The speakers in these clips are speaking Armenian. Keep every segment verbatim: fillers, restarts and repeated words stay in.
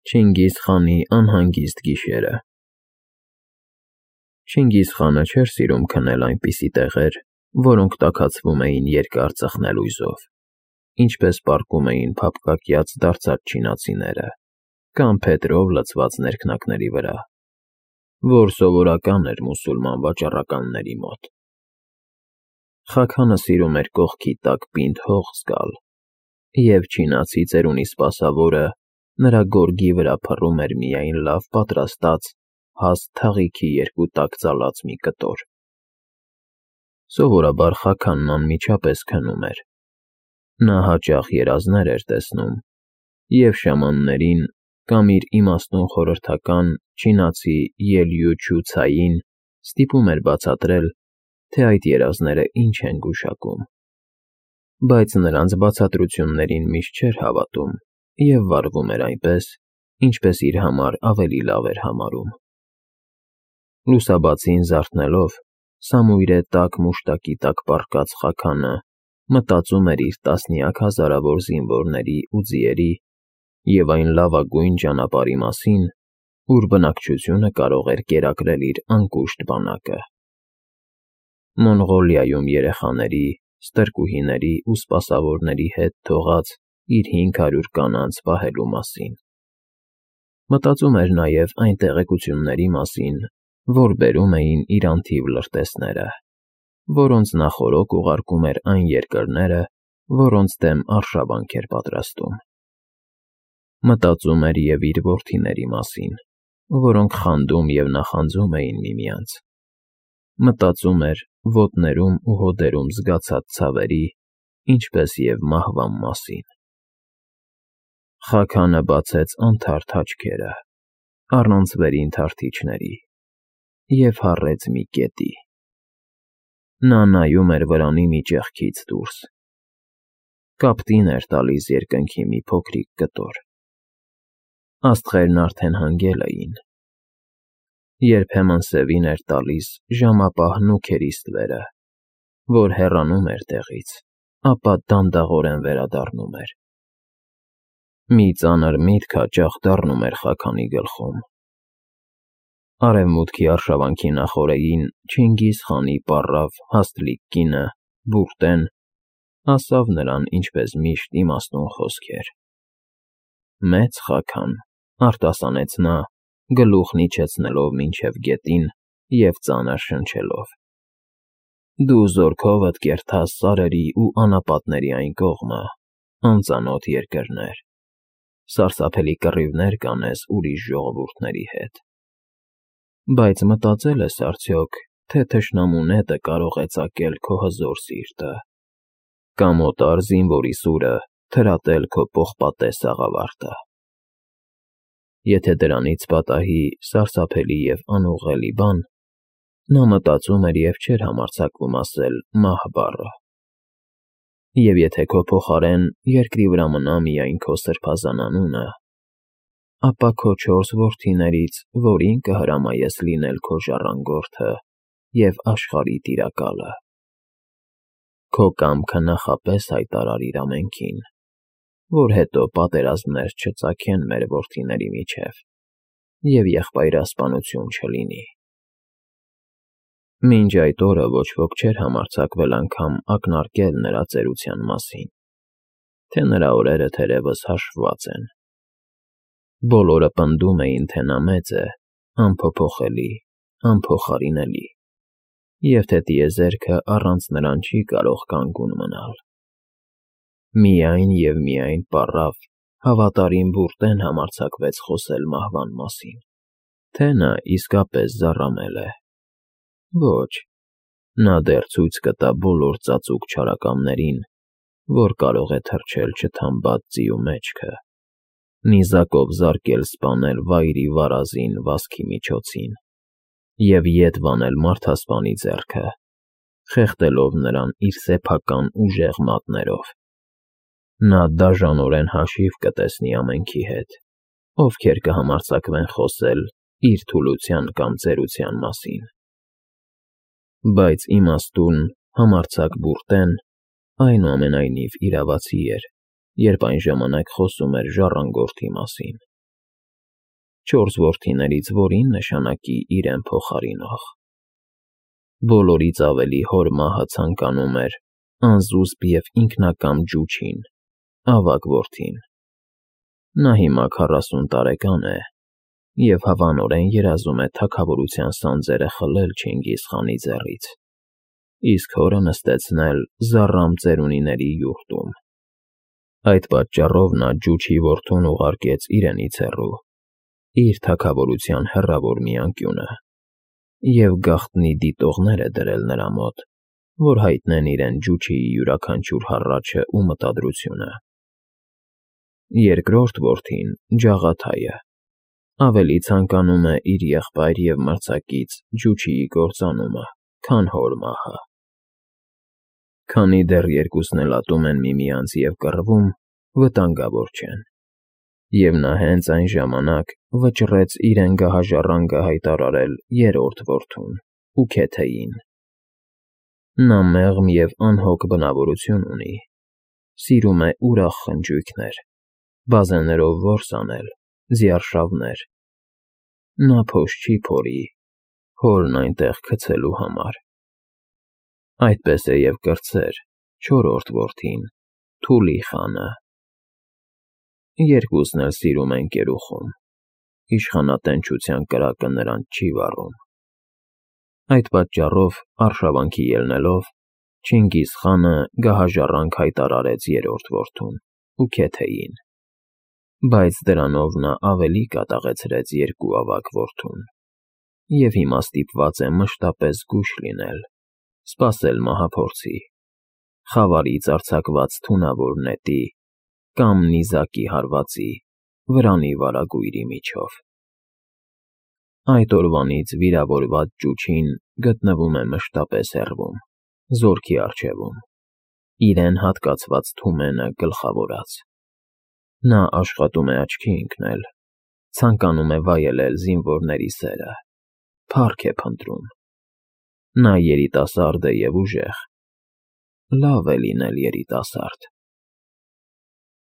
Չինգիզ խանի անհանգիստ գիշերը Չինգիզ խանը չէր սիրում քնել այնպիսի տեղեր, որոնք տաքացվում էին երկար ծխնելույզով, ինչպես պառկում էին փափկակյաց դարձած չինացիները կամ փետրով լցված ներքնակների վրա, որ սովորական էր մուսուլման վաճառականների մոտ։ Խաքանը սիրում էր կողքի տակ պինդ հող զգալ, և չինացի ծերունի սպասավորը նրա գորգի վրա փռում էր միայն լավ պատրաստած, հաստ թաղիքի երկու տակ ծալած մի կտոր։ Սովորաբար Խաքանն անմիջապես քնում էր։ Նա հաճախ երազներ էր տեսնում և շամաններին կամ իր իմաստուն խորհրդական չինացի Ելյուչու Ցային ստիպում էր բացատրել, թե այդ երազները ինչ են գուշակում, բայց նրանց բացատրություններին միշտ չէր հավատում և վարվում էր այնպես, ինչպես իր համար ավելի լավ էր համարում։ Լուսաբացին զարթնելով, սամույրե տաք մուշտակի տակ պառկած Խաքանը մտածում էր իր տասնյակ հազարավոր զինվորների ու ձիերի և այն լավագույն ճանապարհի մասին, ուր բնակչությունը կարող էր կերակրել իր անկուշտ բանակը։ Մոնղոլիայում երեխաների, ստրկուհիների ու սպասավորների հետ թողած իր հինգ հարյուր կանանց պահելու մասին։ Մտածում էր նաև այն տեղեկությունների մասին, որ բերում էին իր անթիվ լրտեսները, որոնց նախօրոք ուղարկում էր այն երկրները, որոնց դեմ արշավանք էր պատրաստում։ Մտածում էր և իր որդիների մասին, որոնք խանդում և նախանձում էին միմյանց։ Մտածում էր ոտներում ու հոդերում զգացած ցավերի, ինչպես և մահվան մասին։ Խաքանը բացեց անթարթ աչքերը, առանց վերին թարթիչների, և հառեց մի կետի։ Նա նայում էր վրանի մի ճեղքից դուրս։ Կապտին էր տալիս երկնքի մի փոքրիկ կտոր։ Աստղերն արդեն հանգել էին։ Երբեմն սևին էր տալիս ժամապահ նուգերի ստվերը, որ հեռանում էր տեղից, ապա դանդաղորեն վերադառնում էր։ Մի ծանր միտք հաճախ դառնում էր Խաքանի գլխում։ Արևմուտքի արշավանքի նախօրեին Չինգիզ խանի պառավ հաստլիկ կինը՝ Բուրտեն, ասավ նրան ինչպես միշտ իմաստուն խոսքեր։ Մեծ Խաքան, արտասանեց նա, գլուխն իջեցնելով մինչև գետին և ծանր շնչելով։ Դու զորքովդ կերտաս սարերի ու անապատների այն կողմը, անծանոթ երկրներ, սարսափելի կռիվներ կանես ուրիշ ժողովուրդների հետ։ Բայց մտածե՞լ ես արդյոք, թե թշնամու նետը կարող է ծակել քո հզոր սիրտը, կամ օտար զինվորի սուրը թրատել քո պողպատե սաղավարտը։ Եթե դրանից պատահի սարսափելի և անուղղելի բան, նա մտածում էր և չէր համարձակվում ասել «մահ» բառը։ Եվ եթե քո փոխարեն երկրի վրա մնա միայն քո սրբազան անունը, ապա քո չորս որդիներից որի՞ն կհրամայես լինել քո ժառանգորդը և աշխարհի տիրակալը։ Քո կամքը նախապես հայտարարիր ամենքին, որ հետո պատերազմներ չծագեն մեր որդիների միջև և եղբայրասպանություն չլինի։ Մինչ այդ օրը ոչ ոք չէր համարձակվել անգամ ակնարկել նրա ծերության մասին, թե նրա օրերը թերևս հաշվված են։ Բոլորը պնդում էին, թե նա մեծ է, անփոփոխելի, անփոխարինելի, և թե տիեզերքը առանց նրան չի կարող կանգուն մնալ։ Միայն և միայն պառավ, հավատարիմ Բուրտեն համարձակվեց խոսել մահվան մասին, թե նա իսկապես զառամել է։ Ոչ, նա դեռ ցույց կտա բոլոր ծածուկ չարակամներին, որ կարող է թռչել չթամբած ձիու մեջքը, նիզակով զարկել սպանել վայրի վարազին վազքի միջոցին և ետ վանել մարդասպանի ձեռքը, խեղդելով նրան իր սեփական ուժեղ մատներով։ Նա դաժանորեն հաշիվ կտեսնի ամենքի հետ, ովքեր կհամարձակվեն խոսել իր թուլության կամ ծերության մասին։ Բայց իմաստուն, համարձակ Բուրտեն, այնուամենայնիվ իրավացի էր, երբ այն ժամանակ խոսում էր ժառանգորդի մասին։ չորս որդիներից որին նշանակի իրեն փոխարինող։ Բոլորից ավելի հոր մահը ցանկանում էր անզուսպ և ինքնակամ Ջուչին, ավագ որդին։ Նա հիմա քառասուն տարեկան է և հավանորեն երազում է թագավորության սանձերը խլել Չինգիզ խանի ձեռից, իսկ հորը նստեցնել Զառամ ծերունիների յուրտում։ Այդ պատճառով նա Ջուչի որդուն ուղարկեց իրենից հեռու, իր թագավորության հեռավոր մի անկյունը, և գաղտնի դիտողներ է դրել նրա մոտ, որ հայտնեն իրեն Ջուչիի յուրաքանչյուր հառաչը ու մտադրությունը։ Երկրորդ որդին՝ Ջաղաթայը, ավելի ցանկանում է իր եղբայր և մրցակից Ջուչիի կործանումը, քան հոր մահը։ Քանի դեռ երկուսն էլ ատում են միմյանց և կռվում, վտանգավոր չեն, և նա հենց այն ժամանակ վճռեց իրեն գահաժառանգը հայտարարել երրորդ որդուն՝ Ուքեթեին։ Նա մեղմ և անհոգ բնավորություն ունի, սիրում է ուրախ խնջույքներ, բազեներով որս անել, ձիարշավներ։ Նա փոշ չի փորի հորն այնտեղ գցելու համար։ Այդպես է և կրտսեր չորրորդ որդին՝ Թուլի խանը։ Երկուսն էլ սիրում են կերուխում, իշխանատենչության կրակը նրանց չի վառում։ Այդ պատճառով, արշավանքի ելնելով, Չինգիզ խանը գահաժառանգ հայտարարեց երրորդ որդուն՝ Ուքեթեին, բայց դրանով նա ավելի կատաղեցրեց երկու ավագ որդուն, և հիմա ստիպված է մշտապես զգույշ լինել, սպասել մահափորձի, խավարից արձակված թունավոր նետի կամ նիզակի հարվածի, վրանի վարագույրի միջով։ Այդ օրվանից վիրավորված Ջուչին գտնվում է մշտապես հեռվում, զորքի առջևում, իրեն հատկացված թումենը գլխավորած։ Նա աշխատում է աչքի ընկնել, ցանկանում է վայելել զինվորների սերը, փառք է փնտրում։ Նա երիտասարդ է և ուժեղ, լավ է լինել երիտասարդ։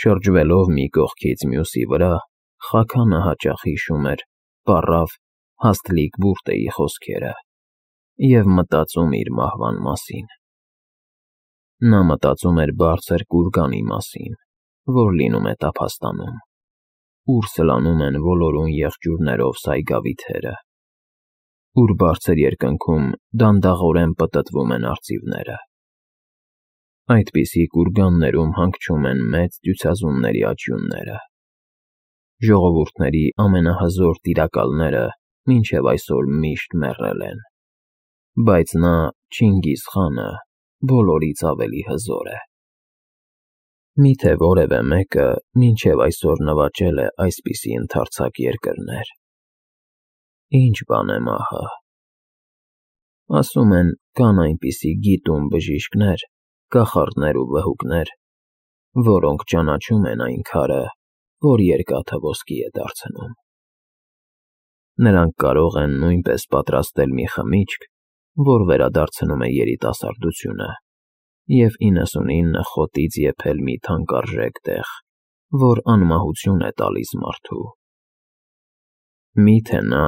Շրջվելով մի կողքից մյուսի վրա, Խաքանը հաճախ հիշում էր պառավ Հասթլիկ Բուրտեի խոսքերը և մտածում իր մահվան մասին։ Նա մտածում էր բարձր կուրգանի մասին, որ լինում է տափաստանում, ուր սլանում են ոլորուն եղջյուրներով սայգավիթերը, ուր բարձր երկնքում դանդաղորեն պտտվում են արծիվները։ Այդպիսի կուրգաններում հանգչում են մեծ ծյուցազունների աճյունները։ Ժողովուրդների ամենահզոր տիրակալները մինչև այսօր միշտ մեռել են, բայց նա՝ Չինգիզ խանը, բոլորից ավելի հզոր է։ Մի՞թե որևէ մեկը մինչև այսօր նվաճել է այսպիսի ընդարձակ երկրներ։ Ի՞նչ բան է մահը։ Ասում են, կան այնպիսի գիտուն բժիշկներ, կախարդներ ու վհուկներ, որոնք ճանաչում են այն քարը, որ երկաթը ոսկի է դարձնում։ Նրանք կարող են նույնպես պատրաստել մի խմիչք, որ վերադարձնում է երիտասարդությունը, և իննսունինը խոտից եփել մի թանկարժեք տեղ, որ անմահություն է տալիս մարդու։ Մի՞թե նա՝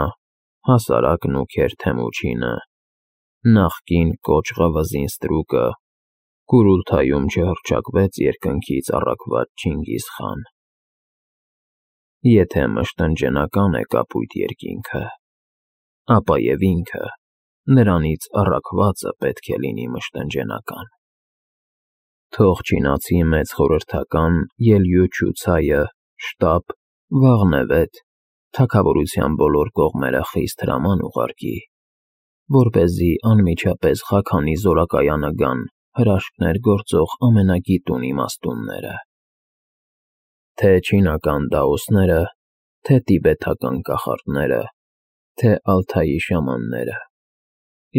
հասարակ նուքեր Թեմուչինը, նախկին կոճղը վզին ստրուկը, Կուրուլթայում չհռչակվեց երկնքից առաքված Չինգիզ խան։ Եթե մշտնջենական է կապույտ երկինքը, ապա և ինքը, նրանից առաքվածը պետք է լինի մշտնջենական։ Թող չինացի մեծ խորհրդական Ելյուչու Ցայը շտապ, վաղնևեթ, թագավորության բոլոր կողմերը խիստ հրաման ուղարկի, որպեսզի անմիջապես Խաքանի զորակայանը գան հրաշքներ գործող ամենագիտուն իմաստունները, թե՛ չինական դաոսները, թե՛ տիբեթական կախարդները, թե՛ Ալթայի շամանները,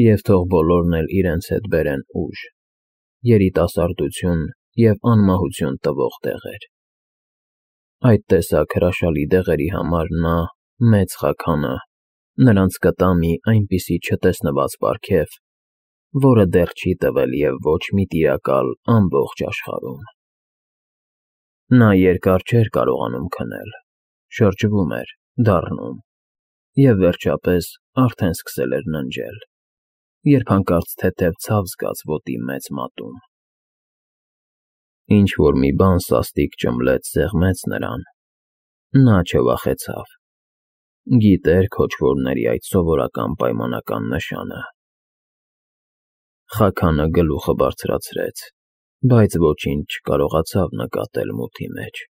և թող բոլորն էլ իրենց հետ բերեն ուժ, երիտասարդություն և անմահություն տվող դեղեր։ Այդ տեսակ հրաշալի դեղերի համար նա՝ Մեծ Խաքանը, նրանց կտա մի այնպիսի չտեսնված պարգև, որը դեռ չի տվել և ոչ մի տիրակալ ամբողջ աշխարհում։ Նա երկար չէր կարողանում քնել, շրջվում էր, դառնում, և վերջապես արդեն սկսել էր ննջել, երբ հանկարծ թեթև ցավ զգաց ոտի մեծ մատում։ Ինչ-որ մի բան սաստիկ ճմլեց սեղմեց նրան, նա չվախեցավ, գիտեր քոչվորների այդ սովորական պայմանական նշանը։ Խաքանը գլուխը բարձրացրեց, բայց ոչինչ չկարողացավ նկատել մութի մեջ։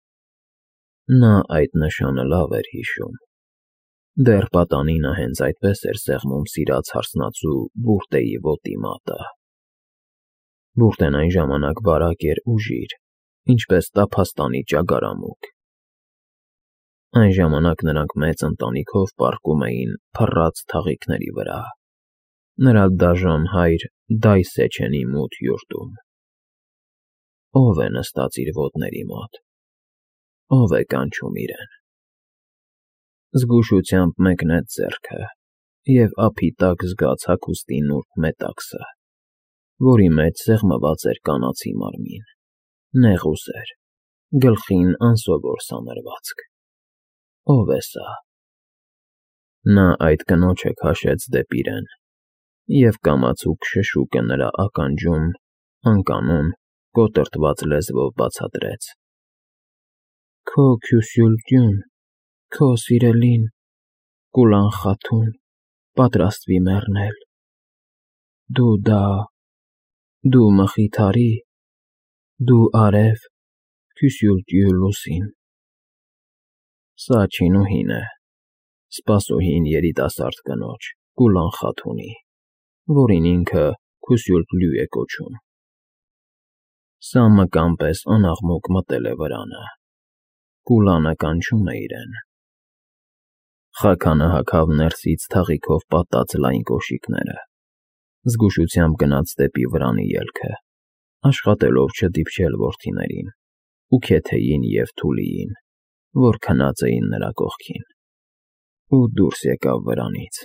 Նա այդ նշանը լավ էր հիշում։ Դեռ պատանինը հենց այդպես էր սեղմում սիրած հարսնացու բուրտեի ոտի մատը։ Բուրտեն այն ժամանակ բարակ էր ու ժիր, ինչպես տափաստանի ճագարամուկ։ Այն ժամանակ նրանք մեծ ընտանիքով պառկում էին փռած թաղիքների վրա, նրա դաժան հայր Դայսեչենի մութ յուրտում։ Ո՞վ է նստած իր ոտների մոտ, ո՞վ է կանչում իրեն։ Զգուշությամբ մեկնեց ձեռքը և ափի տակ զգաց հագուստի նուրբ մետաքսը, որի մեջ սեղմված էր կանացի մարմին, նեղ ուսեր, գլխին անսովոր սանրվածք։ Ո՞վ է սա։ Նա այդ կնոջը քաշեց դեպի իրեն, և կամացուկ շշուկը նրա ականջում անկանոն, կոտրտված լեզվով բացատրեց. «Քո Քյուսյուլտյուն, քո սիրելին, Կուլան Խաթուն, պատրաստվի մեռնել։ Դու դա… դու Մխիթարի… դու արև Քյուսյուլտյու լուսին»։ Սա չինուհին է, սպասուհին երիտասարդ կնոջ՝ Կուլան Խաթունի, որին ինքը Քյուսյուլտլու է կոչում։ Սա մկան պես անաղմուկ մտել է վրանը, Կուլանը կանչում է իրեն։ Խաքանը հագավ ներսից թաղիքով պատած լայն կոշիկները, զգուշությամբ գնաց դեպի վրանի ելքը, աշխատելով չդիպչել որդիներին, Ուքեթեին և Թուլիին, որ քնած էին նրա կողքին, ու դուրս եկավ վրանից։